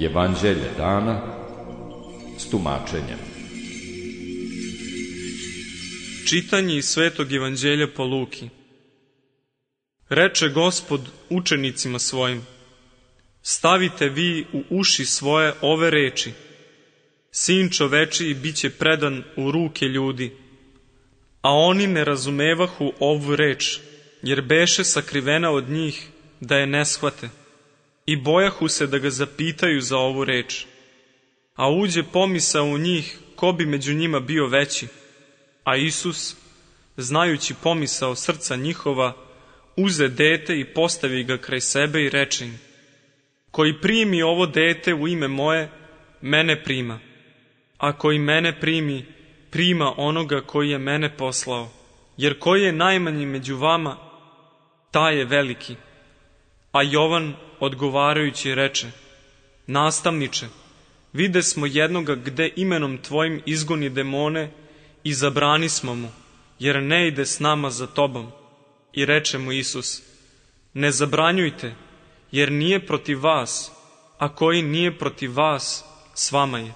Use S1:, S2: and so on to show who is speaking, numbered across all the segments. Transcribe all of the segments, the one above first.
S1: Evanđelje dana s tumačenjem.
S2: Čitanje iz Svetog Evanđelja po Luki. Reče Gospod učenicima svojim: stavite vi u uši svoje ove reči. Sin čovečiji biće predan u ruke ljudi. A oni ne razumevahu ovu reč, jer beše sakrivena od njih da je ne shvate. I bojahu se da ga zapitaju za ovu reč. A uđe pomisao u njih ko bi među njima bio veći. A Isus, znajući pomisao srca njihova, uze dete i postavi ga kraj sebe i reče im: koji primi ovo dete u ime moje, mene prima. A koji mene primi, prima onoga koji je mene poslao. Jer koji je najmanji među vama, taj je veliki. A Jovan odgovarajući reče: nastavniče, vide smo jednoga gde imenom tvojim izgoni demone i zabrani smo mu, jer ne ide s nama za tobom. I reče mu Isus: ne zabranjujte, jer nije protiv vas, a koji nije protiv vas, s vama je.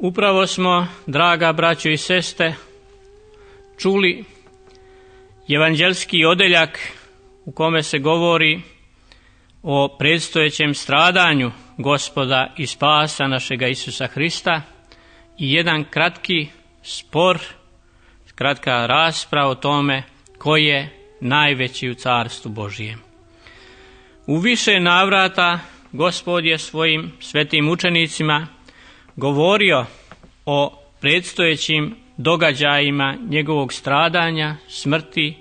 S3: Upravo smo, draga braćo i sestre, čuli evanđelski odeljak u kome se govori o predstojećem stradanju Gospoda i spasa našega Isusa Hrista i jedan kratki spor, kratka rasprava o tome ko je najveći u Carstvu Božijem. U više navrata Gospod je svojim svetim učenicima govorio o predstojećim događajima njegovog stradanja, smrti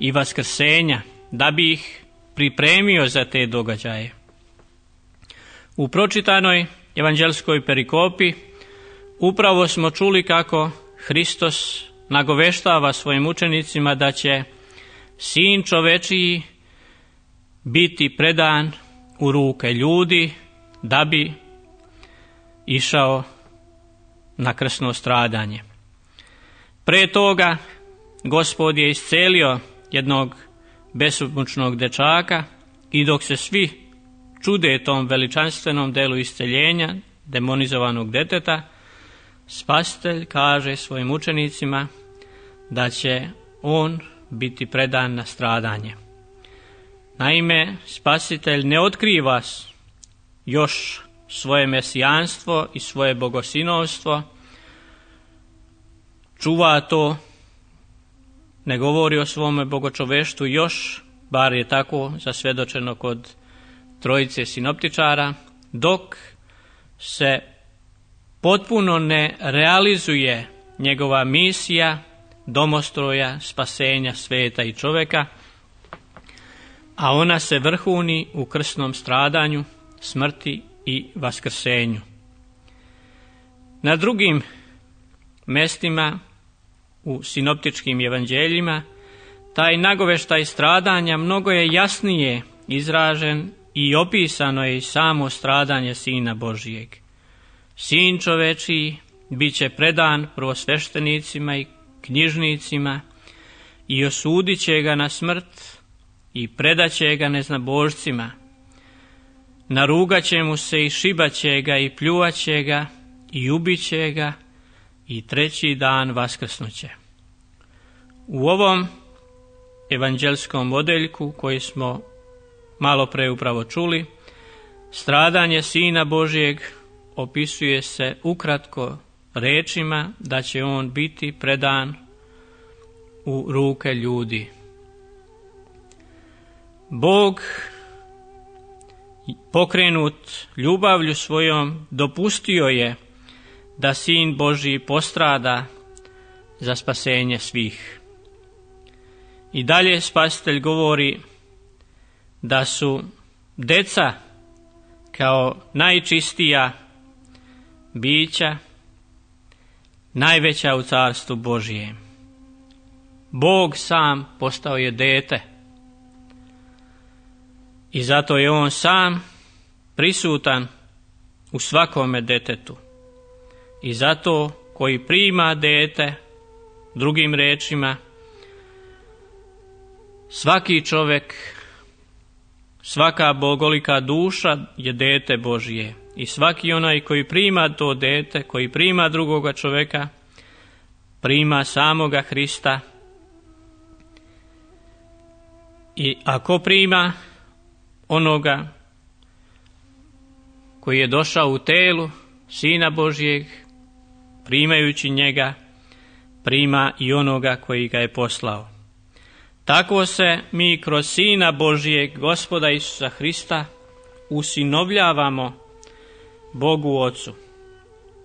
S3: i vaskrsenja, da bi ih pripremio za te događaje. U pročitanoj evanđelskoj perikopi upravo smo čuli kako Hristos nagoveštava svojim učenicima da će Sin čovečiji biti predan u ruke ljudi da bi išao na krsno stradanje. Pre toga Gospod je iscelio jednog besomučnog dečaka i dok se svi čude tom veličanstvenom delu isceljenja demonizovanog deteta, Spasitelj kaže svojim učenicima da će on biti predan na stradanje. Naime, Spasitelj ne otkriva još svoje mesijanstvo i svoje bogosinovstvo, čuva to, ne govori o svome bogočoveštvu još, bar je tako zasvjedočeno kod trojice sinoptičara, dok se potpuno ne realizuje njegova misija domostroja, spasenja sveta i čoveka, a ona se vrhuni u krsnom stradanju, smrti i vaskrsenju. Na drugim mestima u sinoptičkim evanđeljima taj nagoveštaj stradanja mnogo je jasnije izražen i opisano je i samo stradanje Sina Božijeg. Sin čovečiji bit će predan prvosveštenicima i knjižnicima i osudit će ga na smrt i predat će ga neznabožcima. Narugat će mu se i šibat će ga i pljuvat će ga i ubit će ga i treći dan vaskrsnuće. U ovom evanđelskom odeljku koji smo malo pre upravo čuli, stradanje Sina Božijeg opisuje se ukratko rečima da će on biti predan u ruke ljudi. Bog, pokrenut ljubavlju svojom, dopustio je da Sin Božji postrada za spasenje svih. I dalje Spasitelj govori da su deca kao najčistija bića najveća u Carstvu Božjem. Bog sam postao je dete. I zato je on sam prisutan u svakome detetu. I zato koji prima dete, drugim rečima, svaki čovjek, svaka bogolika duša je dete Božije. I svaki onaj koji prima to dete, koji prima drugoga čovjeka, prima samoga Hrista. I ako prima onoga koji je došao u telu Sina Božijeg, primajući njega, prima i onoga koji ga je poslao. Tako se mi kroz Sina Božijeg, Gospoda Isusa Hrista, usinovljavamo Bogu Ocu.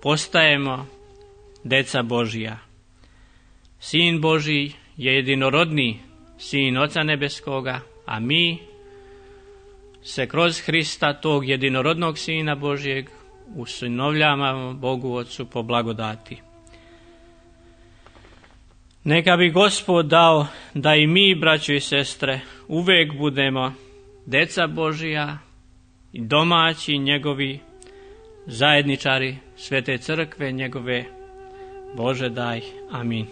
S3: Postajemo deca Božija. Sin Božji je jedinorodni Sin Oca Nebeskoga, a mi se kroz Hrista, tog jedinorodnog Sina Božijeg, usinovljavamo Bogu Ocu po blagodati. Neka bi Gospod dao da i mi, braćo i sestre, uvijek budemo deca Božija i domaći njegovi, zajedničari Svete Crkve njegove. Bože daj. Amin.